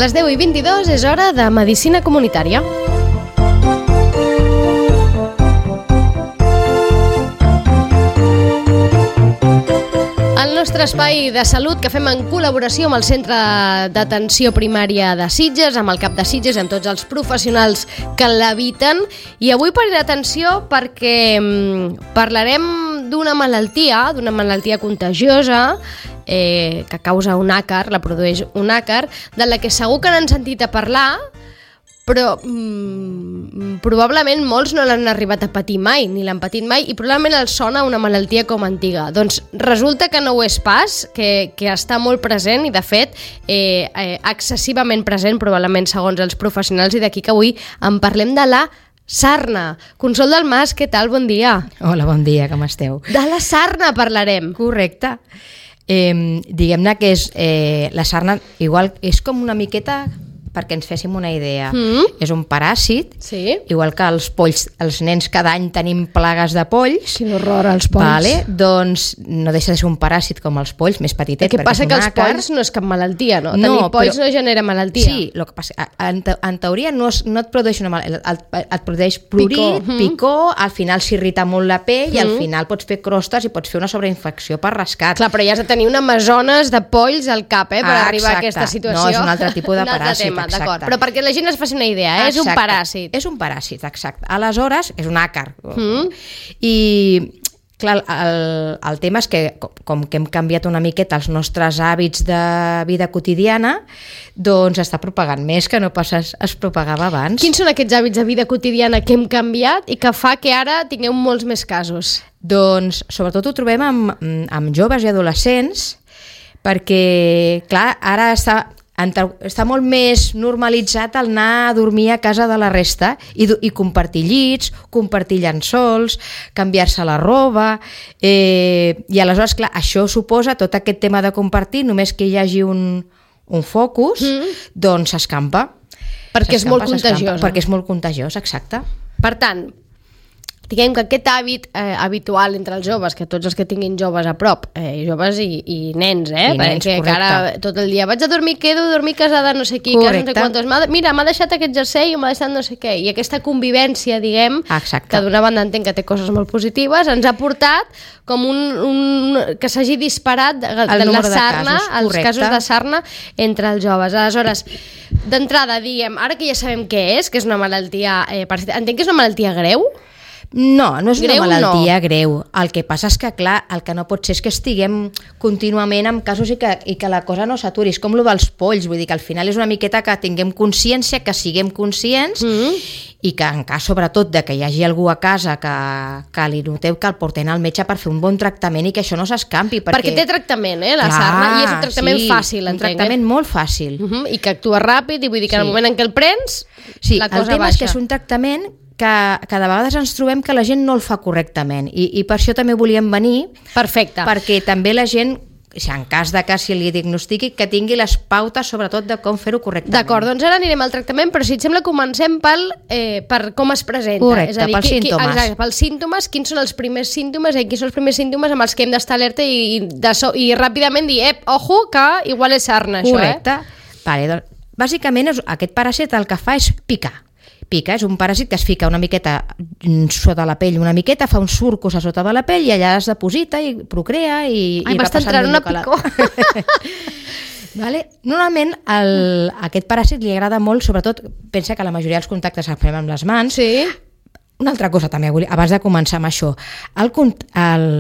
les 10:22 és hora de Medicina Comunitària. El nostre espai de salut que fem en col·laboració amb el Centre d'Atenció Primària de Sitges, amb el CAP de Sitges, amb tots els professionals que l'habiten. I avui parlaré d'atenció perquè parlarem d'una malaltia contagiosa que causa un àcar, la produeix un àcar, de la que segur que n'han sentit a parlar, però probablement molts no l'han arribat a patir mai, ni l'han patit mai, i probablement els sona una malaltia com antiga. Doncs resulta que no ho és pas, que està molt present i, de fet, excessivament present, probablement segons els professionals, i d'aquí que avui en parlem de la sarna. Consol del Mas, què tal? Bon dia. Hola, bon dia, com esteu? De la sarna parlarem. Correcte. Diguem-ne que és la sarna, igual, és com una miqueta, perquè ens féssim una idea. És un paràsit, sí. Igual que els polls, els nens cada any tenim plagues de polls. Quin horror, els polls. Vale? Doncs no deixa de ser un paràsit com els polls, més petitet. El que passa que els polls no és cap malaltia, no? Tenir polls no genera malaltia. Sí, el que passa, en teoria no et produeix una malaltia, et produeix prurit, picor, al final s'irrita molt la pell i al final pots fer crostes i pots fer una sobreinfecció per rescat. Clar, però ja has de tenir una amazones de polls al cap, per arribar a aquesta situació. No, és un altre tipus de paràsit. D'acord, però perquè la gent es faci una idea, és un paràsit. És un paràsit, exacte. Aleshores, és un àcar. I, clar, el tema és que, com que hem canviat una miqueta els nostres hàbits de vida quotidiana, doncs està propagant més que no pas es propagava abans. Quins són aquests hàbits de vida quotidiana que hem canviat i que fa que ara tingueu molts més casos? Doncs, sobretot ho trobem amb joves i adolescents, perquè, clar, ara està molt més normalitzat el anar a dormir a casa de la resta i compartir llits, compartir llençols, canviar-se la roba, i aleshores, clar, això suposa tot aquest tema de compartir, només que hi hagi un focus, doncs s'escampa. Perquè és molt contagiós. Perquè és molt contagiós, exacte. Per tant, diguem que aquest hàbit habitual entre els joves, que tots els que tinguin joves a prop, joves i nens, perquè ara tot el dia vaig a dormir, quedo a dormir casada no sé qui, casa no sé quantos, mira, m'ha deixat aquest jersei o m'ha deixat no sé què, i aquesta convivència, diguem, que d'una banda entenc que té coses molt positives, ens ha portat com que s'hagi disparat de la sarna, els casos de sarna entre els joves. Aleshores, d'entrada, diguem, ara que ja sabem què és una malaltia, entenc que és una malaltia greu? No, no és una malaltia greu. El que passa és que, clar, el que no pot ser és que estiguem contínuament amb casos i que la cosa no s'aturi. És com el dels polls, vull dir que al final és una miqueta que tinguem consciència, que siguem conscients i que en cas, sobretot, de que hi hagi algú a casa que li noteu que el porten al metge per fer un bon tractament i que això no s'escampi. Perquè té tractament, la sarna, i és un tractament fàcil, entenc. Un tractament molt fàcil. I que actua ràpid, i vull dir que en el moment en què el prens, la cosa baixa. El tema és que és un tractament que de vegades ens trobem que la gent no el fa correctament i per això també volíem venir. Perfecte. Perquè també la gent, en cas de que si li diagnostiqui, que tingui les pautes sobretot de com fer-ho correctament. D'acord, doncs ara anirem al tractament, però si et sembla comencem per com es presenta. Correcte, pels símptomes. Exacte, pels símptomes, quins són els primers símptomes quins són els primers símptomes amb els que hem d'estar alerta i ràpidament dir, ojo, que igual és sarna, això. Correcte. Vale, doncs, bàsicament aquest paràsit el que fa és picar. Pica, és un paràsit que es fica una miqueta sota la pell, una miqueta, fa un surcos a sota de la pell i allà es deposita i procrea i va passant entrant una picor. Vale? Normalment aquest paràsit li agrada molt, sobretot, pensa que la majoria dels contactes els fem amb les mans. Sí. Una altra cosa també, abans de començar amb això, el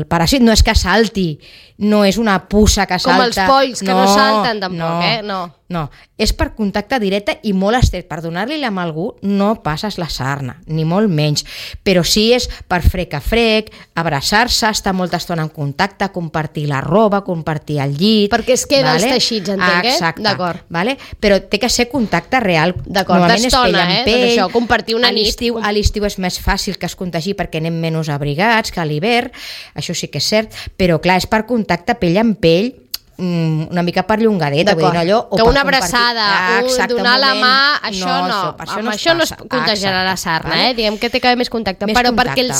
paràsit no és que salti, no és una puça que salta. Com els polls, que no salten tampoc, No, és per contacte directe i molt estret. Per donar-li-la a algú no passes la sarna, ni molt menys. Però sí és per frec a frec, abraçar-se, estar molta estona en contacte, compartir la roba, compartir el llit. Perquè es queden els teixits, entenc, Exacte. D'acord. Vale? Però té que ser contacte real. D'acord, d'estona, pell. Això, compartir una nit. A l'estiu és més fàcil que es contagi perquè anem menys abrigats que a l'hivern, això sí que és cert, però clar, és per contacte pell amb pell, una mica perllongadeta, vull dir, allò, o que per una compartir. abraçada, donar la mà, això no, amb això no es contagiarà la sarna, vale? Diguem que té que haver més contacte, Més però contacte. perquè el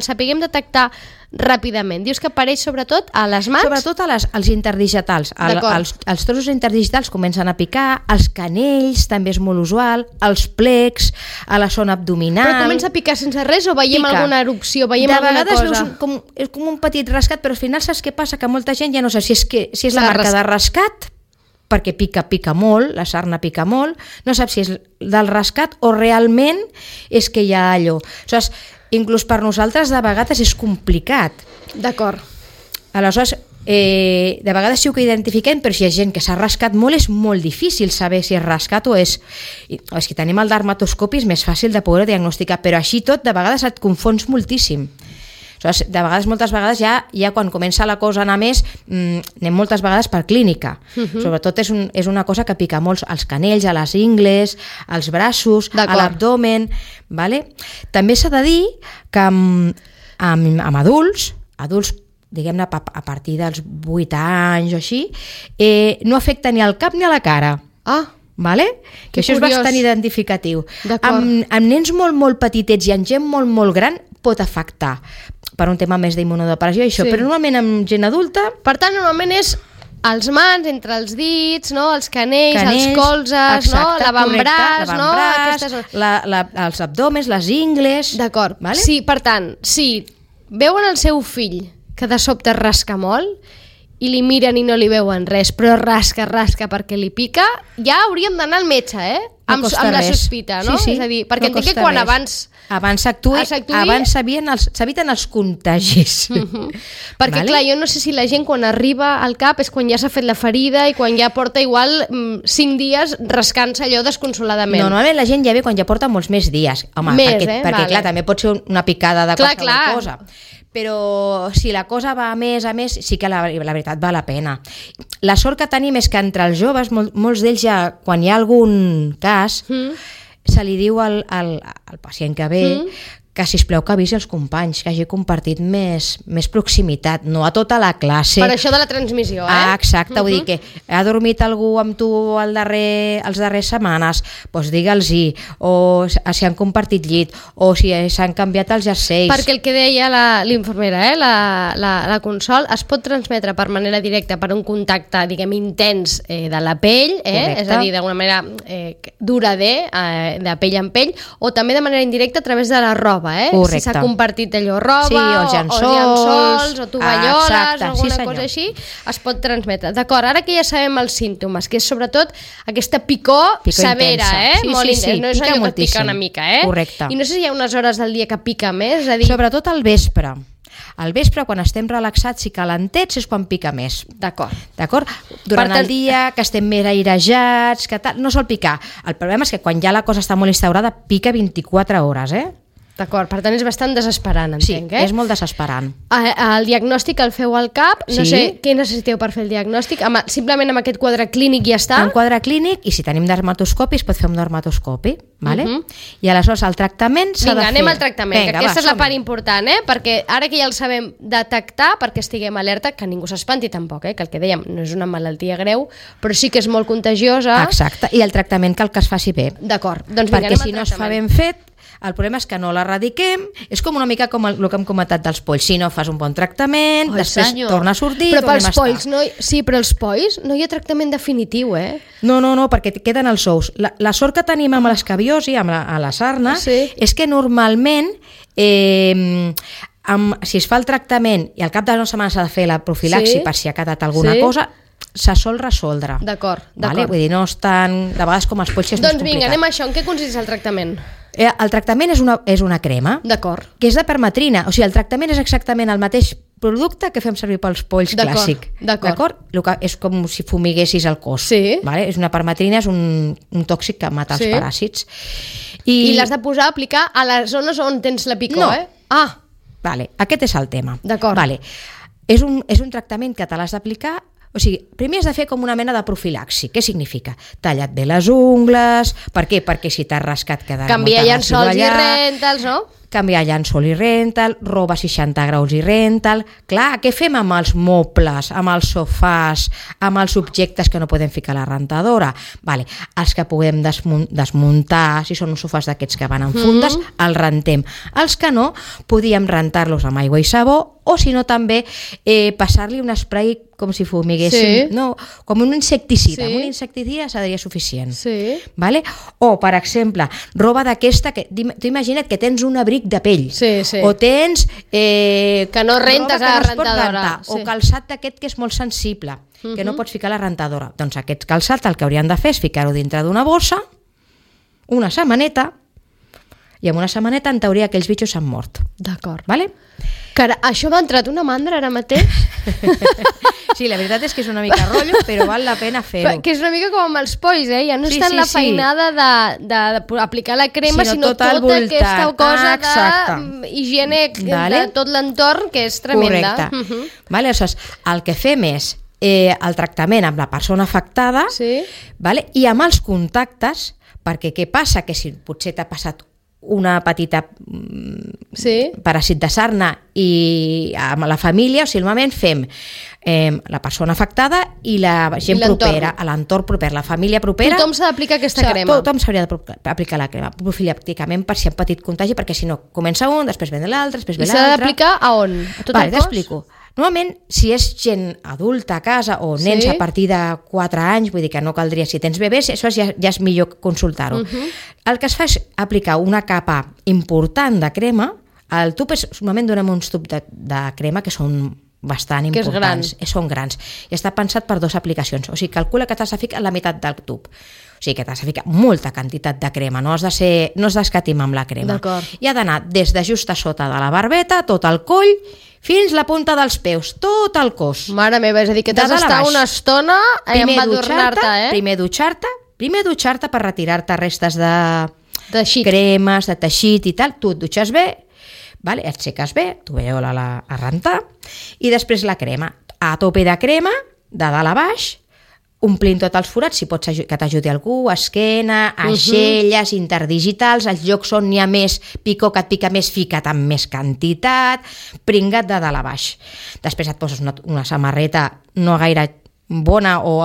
sapiguem detectar ràpidament. Dius que apareix sobretot a les mans? Sobretot als interdigitals. Els trossos interdigitals comencen a picar, els canells també és molt usual, els plecs, a la zona abdominal... Però comença a picar sense res o veiem alguna erupció, veiem alguna cosa? De vegades veus com un petit rascat, però al final saps què passa? Que molta gent ja no sé si és la marca de rascat, perquè pica molt, la sarna pica molt, no saps si és del rascat o realment és que hi ha allò. Aleshores, inclús per nosaltres de vegades és complicat. D'acord. Aleshores, de vegades sí que identifiquem, però si hi ha gent que s'ha rascat molt és molt difícil saber si és rascat o és... És que tenim el dermatoscopi, és més fàcil de poder diagnosticar, però així tot de vegades et confons moltíssim. Aleshores, de vegades, moltes vegades ja quan comença la cosa a anar més, anem moltes vegades per clínica. Sobretot és una cosa que pica molt als canells, a les ingles, als braços, a l'abdomen. Vale? També s'ha de dir que amb adults, diguem-ne a partir dels 8 anys o així, no afecta ni al cap ni a la cara. Vale? Que això és bastant identificatiu. Amb nens molt petitets i amb gent molt gran pot afectar per un tema més d'immunodepressió i això, però normalment amb gent adulta... Per tant, normalment és els mans, entre els dits, no? Els canells, els colzes, no? L'avantbraç, no? Els abdòmens, les ingles... D'acord. Vale? Sí, per tant, si veuen el seu fill que de sobte rasca molt i li miren i no li veuen res, però rasca perquè li pica, ja hauríem d'anar al metge, amb la sospita, no? Sí, és a dir, perquè entenc que quan abans s'actuï, abans s'eviten els contagis. Perquè clar, jo no sé si la gent quan arriba al CAP és quan ja s'ha fet la ferida i quan ja porta igual 5 dies rascant-se allò desconsoladament. Normalment la gent ja ve quan ja porta molts més dies. Home, perquè clar, també pot ser una picada de qualsevol cosa. Però si la cosa va a més, sí que la veritat val la pena. La sort que tenim és que entre els joves, molts d'ells ja, quan hi ha algun cas, se li diu al pacient que ve que sisplau que avisi els companys, que hagi compartit més proximitat, no a tota la classe. Per això de la transmissió, Exacte, vull dir que ha dormit algú amb tu els darrers setmanes, doncs digue'ls-hi, o si han compartit llit, o si s'han canviat els jerseis. Perquè el que deia l'infermera, la Consol, es pot transmetre per manera directa per un contacte, diguem, intens de la pell, és a dir, d'alguna manera dura de pell en pell, o també de manera indirecta a través de la roba. Si s'ha compartit allò roba, o llençols, o tovalloles, o alguna cosa així, es pot transmetre. D'acord, ara que ja sabem els símptomes, que és sobretot aquesta picor severa, molt intensa, no és allò que et pica una mica, Correcte. I no sé si hi ha unes hores del dia que pica més, és a dir... Sobretot al vespre. Al vespre, quan estem relaxats i calentets, és quan pica més. D'acord? Durant el dia, que estem més airejats, que tal, no sol picar. El problema és que quan ja la cosa està molt instaurada, pica 24 hores, D'acord, per tant és bastant desesperant, entenc, Sí, és molt desesperant. El diagnòstic el feu al CAP, no sé què necessiteu per fer el diagnòstic, simplement amb aquest quadre clínic ja està? Un quadre clínic, i si tenim dermatoscopi es pot fer un dermatoscopi, vale? I aleshores el tractament s'ha de fer... Vinga, anem al tractament, que aquesta és la part important, perquè ara que ja el sabem detectar, perquè estiguem alerta, que ningú s'espanti tampoc, que el que dèiem no és una malaltia greu, però sí que és molt contagiosa. Exacte, i el tractament cal que es faci bé. D'acord, doncs vinga, anem al tractament. Perquè si no es fa ben fet, el problema és que no l'erradiquem, és com una mica com el que hem comentat dels polls. Si no fas un bon tractament, després torna a sortir, però pels polls, però els polls no hi ha tractament definitiu, No, perquè queden els ous. La sort que tenim amb l'escabiosi, amb la sarna, és que normalment si es fa el tractament i al cap de 9 setmanes s'ha de fer la profilaxi per si ha quedat alguna cosa, se sol resoldre. D'acord. Vull dir, no és tan... De vegades com els polls és més complicat. Doncs vinga, anem a això. En què consisteix el tractament? El tractament és una crema. D'acord. Que és de permetrina. O sigui, el tractament és exactament el mateix producte que fem servir pels polls clàssic. D'acord. És com si fumiguessis el cos. Sí. És una permetrina, és un tòxic que mata els paràsits. I l'has de posar a aplicar a les zones on tens la picor, Aquest és el tema. D'acord. És un tractament que te l'has d'aplicar. O sigui, primer has de fer com una mena de profilaxi. Què significa? Tallat bé les ungles. Per què? Perquè si t'has rascat quedarà canvia llençols i rentals, no? canviar llençol i rental, roba 60 graus i rental. Clar, què fem amb els mobles, amb els sofàs, amb els objectes que no podem ficar a la rentadora? Vale, els que podem desmuntar, si són uns sofàs d'aquests que van en fundes, els rentem. Els que no, podíem rentar-los amb aigua i sabó, o si no també passar-li un spray com si fumiguéssim, no, com un insecticida. Un insecticida seria suficient. Vale? O, per exemple, roba d'aquesta, que tu imagina't que tens un abric de pell, o tens que no rentes a la rentadora, o calçat d'aquest que és molt sensible, que no pots ficar a la rentadora. Doncs aquest calçat el que haurien de fer és ficar-ho dintre d'una bossa, una setmaneta, i amb una setmaneta en teoria aquells bitxos s'han mort. D'acord. Vale? Cara, això m'ha entrat una mandra ara mateix. Sí, la veritat és que és una mica rotllo, però val la pena fer-ho. Que és una mica com amb els polls, ja no està en la feinada d'aplicar la crema, sinó tota aquesta cosa d'higiene de tot l'entorn, que és tremenda. Correcte. Aleshores, el que fem és el tractament amb la persona afectada i amb els contactes, perquè què passa? Que si potser t'ha passat una petita paràsit de sarna i amb la família, o sigui, normalment fem la persona afectada i la gent propera, a l'entorn proper, la família propera. Tothom s'ha d'aplicar aquesta crema. Tothom s'hauria d'aplicar la crema, profilàcticament, per si hi ha petit contagi, perquè si no, comença un, després ve l'altre, després ve l'altre. I s'ha d'aplicar a on? A tot el cos? T'explico. Normalment, si és gent adulta a casa o nens a partir de 4 anys, vull dir que no caldria, si tens bebès, això ja és millor consultar-ho. El que es fa és aplicar una capa important de crema. Al tub normalment donem uns tubs de crema que són bastant importants. Són grans. I està pensat per 2 aplicacions. O sigui, calcula que t'has de ficar la meitat del tub. O sigui, que t'has de ficar molta quantitat de crema. No has d'escatimar amb la crema. I ha d'anar des de just a sota de la barbeta, tot el coll, fins la punta dels peus, tot el cos. Mare meva, és a dir, que t'has d'estar una estona a embadurnar-te, Primer dutxar-te per retirar-te restes de cremes, de teixit i tal. Tu et dutxes bé, et seques bé, tovallola a rentar, i després la crema. A tope de crema, de dalt a baix, omplint tots els forats, si pots que t'ajudi algú, esquena, aixelles, interdigitals, els llocs on n'hi ha més picor, que et pica més, fica't amb més quantitat, pringa't de dalt a baix. Després et poses una samarreta no gaire bona o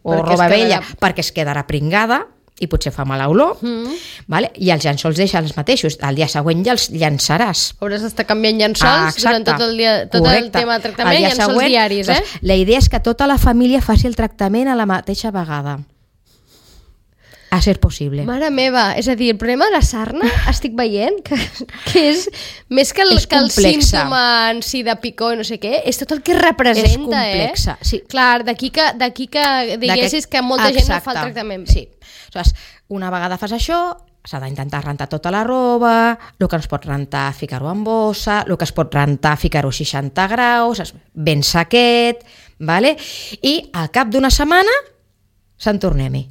roba vella perquè es quedarà pringada i potser fa mala olor, i els llençols deixen els mateixos, el dia següent ja els llançaràs. Hauràs d'estar canviant llençols durant tot el dia, tot el tema de tractament, llençols diaris. La idea és que tota la família faci el tractament a la mateixa vegada, a ser possible. Mare meva, és a dir, el problema de la sarna estic veient que és més que el símptoma en si de picor i no sé què, és tot el que representa. És complexa, sí. Clar, d'aquí que diguessis que molta gent no fa el tractament bé. Sí. Una vegada fas això, s'ha d'intentar rentar tota la roba, el que es pot rentar, ficar-ho en bossa, el que es pot rentar, ficar-ho a 60 graus, ben sequet, i al cap d'una setmana se'n tornem-hi.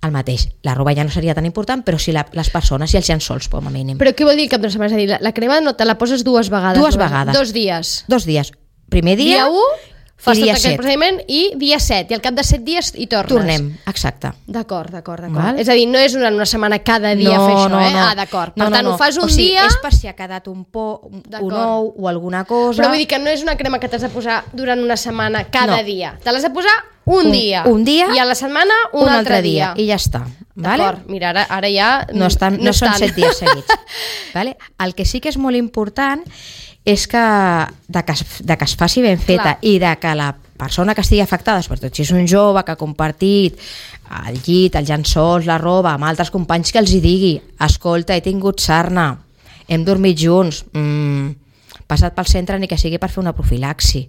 El mateix, la roba ja no seria tan important, però sí les persones i els llençols, com a mínim. Però què vol dir el cap d'una setmana? És a dir, la crema no te la poses 2 vegades? 2 vegades. 2 dies? 2 dies. Primer dia... Dia 1... Fas tot aquest procediment i dia 7, i al cap de 7 dies hi tornes. Tornem, exacte. D'acord. És a dir, no és una setmana cada dia fer això, No. D'acord. Per tant, ho fas un dia... És per si ha quedat un ou o alguna cosa... Però vull dir que no és una crema que t'has de posar durant una setmana cada dia. Te l'has de posar un dia. I a la setmana un altre dia. I ja està. D'acord, mira, ara ja... No són 7 dies seguits. El que sí que és molt important és que es faci ben feta i de que la persona que estigui afectada, sobretot si és un jove que ha compartit el llit, els llençols, la roba amb altres companys, que els hi digui: escolta, he tingut sarna, hem dormit junts, passat pel centre ni que sigui per fer una profilaxi.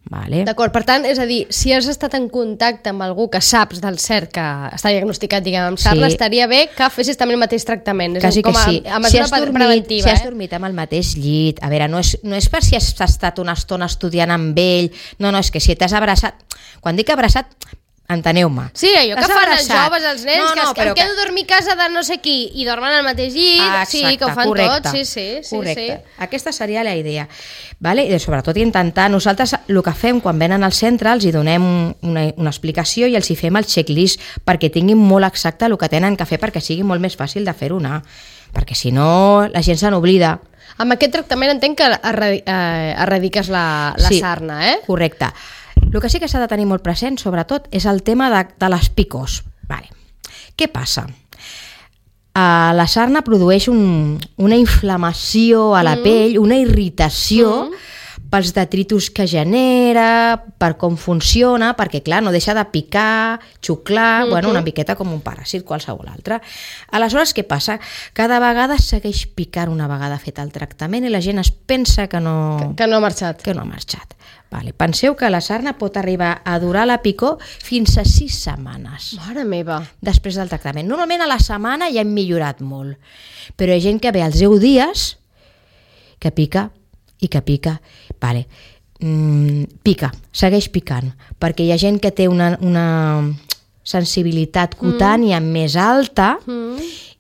D'acord, per tant, és a dir, si has estat en contacte amb algú que saps del cert que està diagnosticat, diguem, amb sarna, estaria bé que fessis també el mateix tractament. Quasi que sí. A mesura preventiva. Si has dormit amb el mateix llit, a veure, no és per si has estat una estona estudiant amb ell, no, és que si t'has abraçat, quan dic abraçat, enteneu-me. Sí, allò que fan els joves, els nens, que em quedo a dormir a casa de no sé qui i dormen al mateix llit, sí, que ho fan tots, sí. Correcte. Aquesta seria la idea. I sobretot intentar, nosaltres el que fem quan venen al centre, els hi donem una explicació i els hi fem el checklist perquè tinguin molt exacte el que tenen que fer perquè sigui molt més fàcil de fer-ho anar, perquè si no la gent se n'oblida. Amb aquest tractament entenc que erradiques la sarna, eh? Correcte. El que sí que s'ha de tenir molt present, sobretot, és el tema de les picors. Vale. Què passa? La sarna produeix una inflamació a la pell, una irritació pels detritus que genera, per com funciona, perquè, clar, no deixa de picar, xuclar, una miqueta com un paràsit qualsevol altre. Aleshores, què passa? Cada vegada segueix picant una vegada fet el tractament i la gent es pensa que no... Que no ha marxat. Que no ha marxat. Vale. Penseu que la sarna pot arribar a durar la picor fins a 6 setmanes. Mare meva. Després del tractament. Normalment a la setmana ja hem millorat molt, però hi ha gent que ve als 10 dies que pica i que pica. Vale. Pica, segueix picant, perquè hi ha gent que té una sensibilitat cutània més alta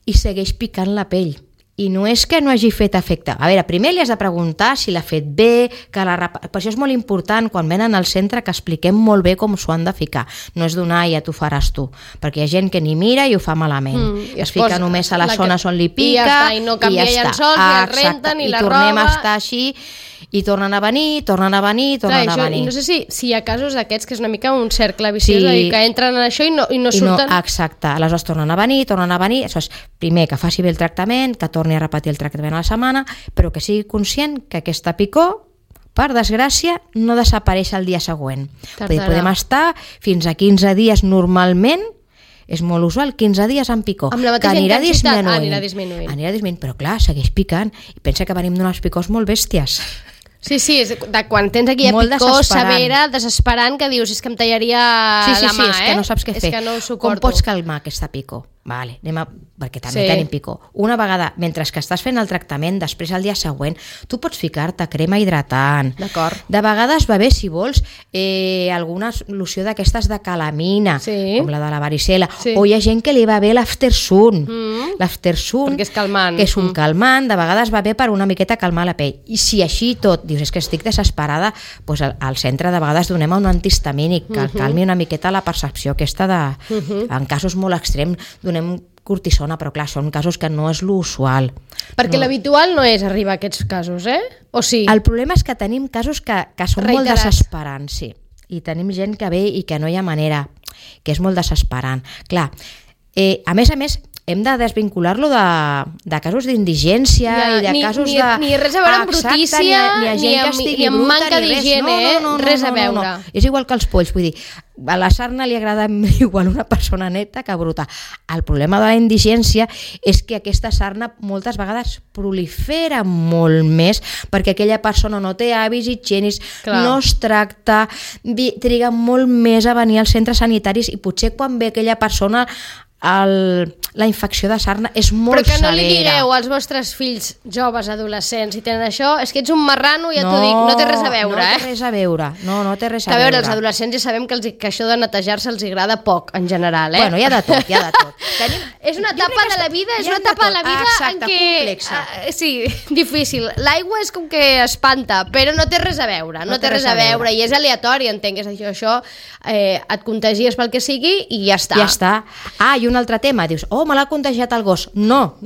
i segueix picant la pell. I no és que no hagi fet efecte. A veure, primer li has de preguntar si l'ha fet bé, per això és molt important quan venen al centre que expliquem molt bé com s'ho han de ficar. No és donar ja t'ho faràs tu, perquè hi ha gent que ni mira i ho fa malament. Es fica només a les zones on li pica i no canvia llençols, ni el renten, ni la roba. I tornem a estar així i tornen a venir. No sé si hi ha casos d'aquests que és una mica un cercle viciós, que entren en això i no surten. Exacte, aleshores tornen a venir. Aleshores, primer que faci bé el tractament, que torni a repetir el tractament a la setmana, però que sigui conscient que aquesta picor, per desgràcia, no desapareix el dia següent. Podem estar fins a 15 dies normalment, és molt usual, 15 dies amb picor. Amb la mateixa intensitat anirà disminuint. Però clar, segueix picant. I pensa que venim d'unes picors molt bèsties. Sí, és de quan tens aquella picor severa, desesperant, que dius, és que em tallaria la mà, és que no saps què fer. Com pots calmar aquesta picor? Vale, perquè també tenim picor. Una vegada, mentre que estàs fent el tractament, després el dia següent, tu pots ficar-te crema hidratant. D'acord. De vegades va bé, si vols, alguna loció d'aquestes de calamina, com la de la varicela, o hi ha gent que li va bé l'aftersun. L'aftersun, perquè és calmant. Que és un calmant, de vegades va bé per una miqueta calmar la pell. I si així tot, dius, és que estic desesperada, doncs al centre de vegades donem un antihistamínic que calmi una miqueta la percepció aquesta en casos molt extrems donem cortisona, però clar, són casos que no és l'usual. Perquè l'habitual no és arribar a aquests casos, o sí? El problema és que tenim casos que són molt desesperants, sí. I tenim gent que ve i que no hi ha manera, que és molt desesperant. Clar, a més, hem de desvincular-lo de casos d'indigència i de casos de... Ni res a veure amb brutícia, ni amb manca d'higiene, res a veure. És igual que els polls, vull dir, a la sarna li agrada igual una persona neta que bruta. El problema de la indigència és que aquesta sarna moltes vegades prolifera molt més perquè aquella persona no té hàbits higiènics, no es tracta, triga molt més a venir als centres sanitaris i potser quan ve aquella persona la infecció de sarna és molt severa. Però que no li digueu als vostres fills joves, adolescents, si tenen això, és que ets un marrano, ja t'ho dic, no té res a veure. No té res a veure, no té res a veure. A veure, els adolescents ja sabem que això de netejar-se els agrada poc, en general, Bueno, hi ha de tot. És una etapa de la vida, en què... complexa. Sí, difícil. L'aigua és com que espanta, però no té res a veure, i és aleatori, entenc, és això, et contagies pel que sigui i ja està. Ja està. I un altre tema, dius, me l'ha contagiat el gos. No.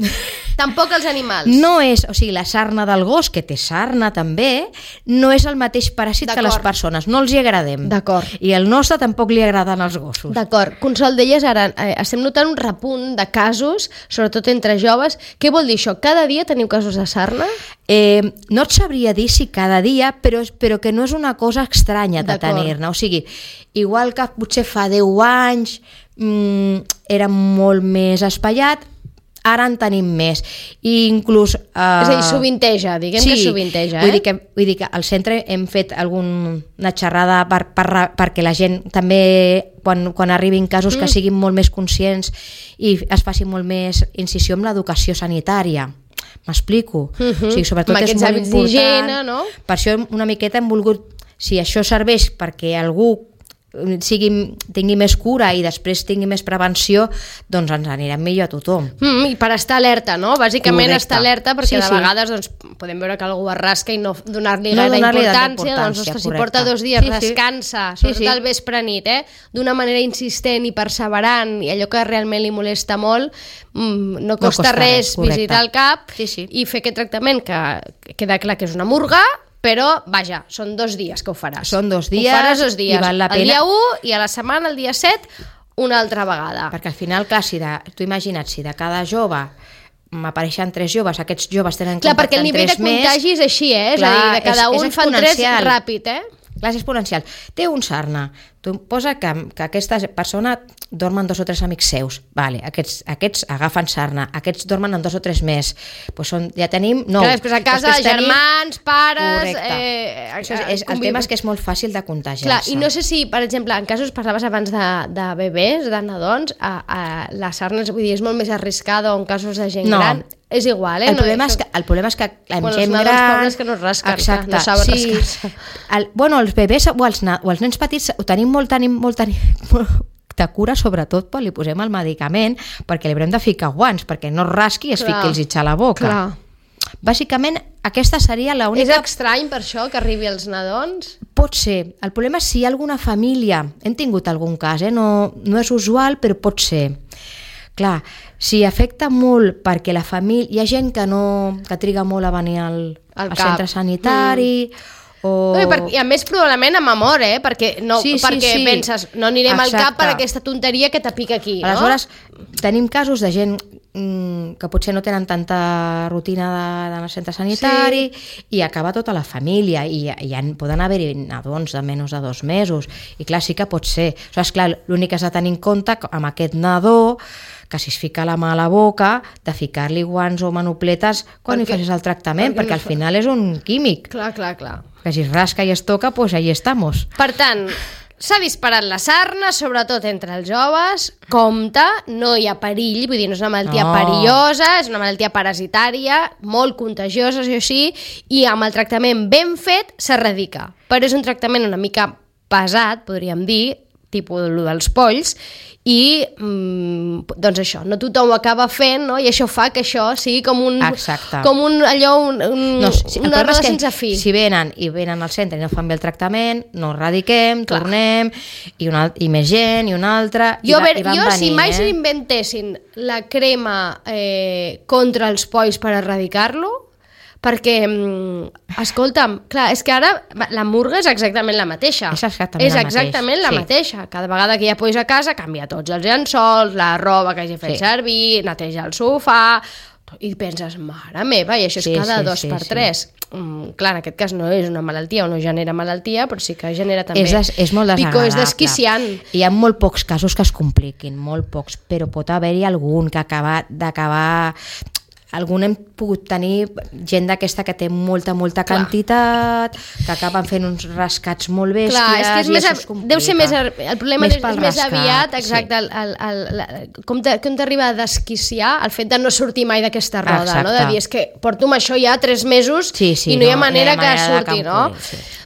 Tampoc els animals. No és, o sigui, la sarna del gos, que té sarna també, no és el mateix paràsit que les persones. No els hi agradem. D'acord. I el nostre tampoc li agraden els gossos. D'acord. Consol, deies ara, estem notant un repunt de casos, sobretot entre joves. Què vol dir això? Cada dia teniu casos de sarna? No et sabria dir si cada dia, però que no és una cosa estranya de tenir-ne. O sigui, igual que potser fa 10 anys era molt més espaiat, ara en tenim més. I inclús... és a dir, sovinteja, diguem que sovinteja. Vull dir que al centre hem fet alguna xerrada perquè la gent també, quan arribin casos, que siguin molt més conscients i es faci molt més incisió en l'educació sanitària. M'explico? O sigui, sobretot és molt important. No? Per això una miqueta hem volgut, si això serveix perquè algú tingui més cura i després tingui més prevenció, doncs ens anirem millor a tothom. I per estar alerta, no? Bàsicament Correcte. estar alerta, perquè de vegades doncs, podem veure que algú es rasca i no donar-li gaire importància, doncs ostres, si porta 2 dies, descansa, sobretot al vespre nit, d'una manera insistent i perseverant, i allò que realment li molesta molt, no costa res visitar el CAP i fer aquest tractament, que queda clar que és una murga, però, vaja, són 2 dies que ho faràs. Són 2 dies, ho faràs 2 dies, i val la pena. El dia 1 i a la setmana, el dia 7, una altra vegada. Perquè al final, clar, tu imagina't, si de cada jove m'apareixen 3 joves, aquests joves tenen clar, perquè el nivell de contagi és així, és a dir, de cada un fan 3 ràpid, Clar, és exponencial. Té un sarna, tu posa que aquesta persona dormen 2 o 3 amics seus, vale, aquests agafen sarna, aquests dormen amb 2 o 3 més, pues ja tenim 9. Clar, després a casa, germans, pares... El tema és que és molt fàcil de contagiar-se. Clar, i no sé si, per exemple, en casos, parlaves abans de bebès, de nadons, la sarna és molt més arriscada o en casos de gent gran, és igual, El problema és que amb gent gran... Els pobres que no es rasquen, exacte, no saben rascar-se. Els bebès o els nens petits ho tenim molt de cura, sobretot quan li posem el medicament, perquè li haurem de ficar guants, perquè no es rasqui i es fiqui el zitge a la boca. Clar. Bàsicament, aquesta seria l'única... És estrany per això que arribi als nadons? Pot ser. El problema és si hi ha alguna família, hem tingut algun cas, no és usual, però pot ser. Clar, si afecta molt perquè la família... Hi ha gent que triga molt a venir al centre sanitari... I a més probablement amb amor, perquè penses no anirem al CAP per aquesta tonteria que te pica aquí, no? Aleshores, tenim casos de gent que potser no tenen tanta rutina d'anar al centre sanitari i acaba tota la família i poden haver-hi nadons de menys de 2 mesos i clar, sí que pot ser. Aleshores, clar, l'únic que has de tenir en compte amb aquest nadó que si es fica la mà a la boca, de ficar-li guants o manopletes quan hi facis el tractament, perquè al final és un químic. Clar. Que si es rasca i es toca, pues ahí estamos. Per tant, s'ha disparat la sarna, sobretot entre els joves, compte, no hi ha perill, vull dir, no és una malaltia perillosa, és una malaltia parasitària, molt contagiosa, això sí, i amb el tractament ben fet s'erradica. Però és un tractament una mica pesat, podríem dir, tipus el dels polls, i doncs això, no tothom ho acaba fent, no? I això fa que això sigui com un una roda sense fi. Si venen al centre i no fan bé el tractament, no erradiquem, tornem, i més gent, i una altra, i van venint. Si mai s'inventessin la crema contra els polls per erradicar-lo, perquè, escolta'm, clar, és que ara la murga és exactament la mateixa. És exactament la mateixa. Cada vegada que hi ha polls a casa, canvia tots els llençols, la roba que hagi fet servir, neteja el sofà, i penses, mare meva, i això és cada 2 per 3. Clar, en aquest cas no és una malaltia o no genera malaltia, però sí que genera també és molt desagradable. picor, és desquiciant. Hi ha molt pocs casos que es compliquin, molt pocs, però pot haver-hi algun que d'acabar... Algun hem pogut tenir gent d'aquesta que té molta quantitat, que acaben fent uns rascats molt bèsties. Clar, és que deu ser més... El problema és més aviat, exacte, com t'arriba a desquiciar el fet de no sortir mai d'aquesta roda, no? De dir, és que porto amb això ja 3 mesos i no hi ha manera que surti, no?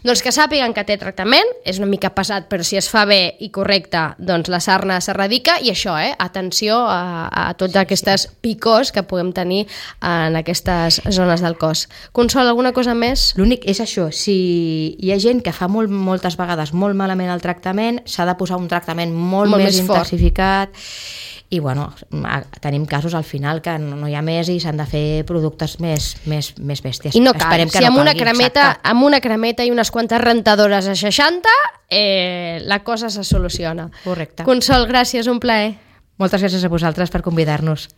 Doncs que sàpiguen que té tractament, és una mica pesat, però si es fa bé i correcte, doncs la sarna s'erradica, i això, atenció a tots aquestes picors que puguem tenir en aquestes zones del cos. Consol, alguna cosa més? L'únic és això, si hi ha gent que fa moltes vegades molt malament el tractament, s'ha de posar un tractament molt més intensificat, i bueno, tenim casos al final que no hi ha més i s'han de fer productes més bèsties. I no cal, si amb una cremeta i unes quantes rentadores a 60 la cosa se soluciona. Correcte. Consol, gràcies, un plaer. Moltes gràcies a vosaltres per convidar-nos.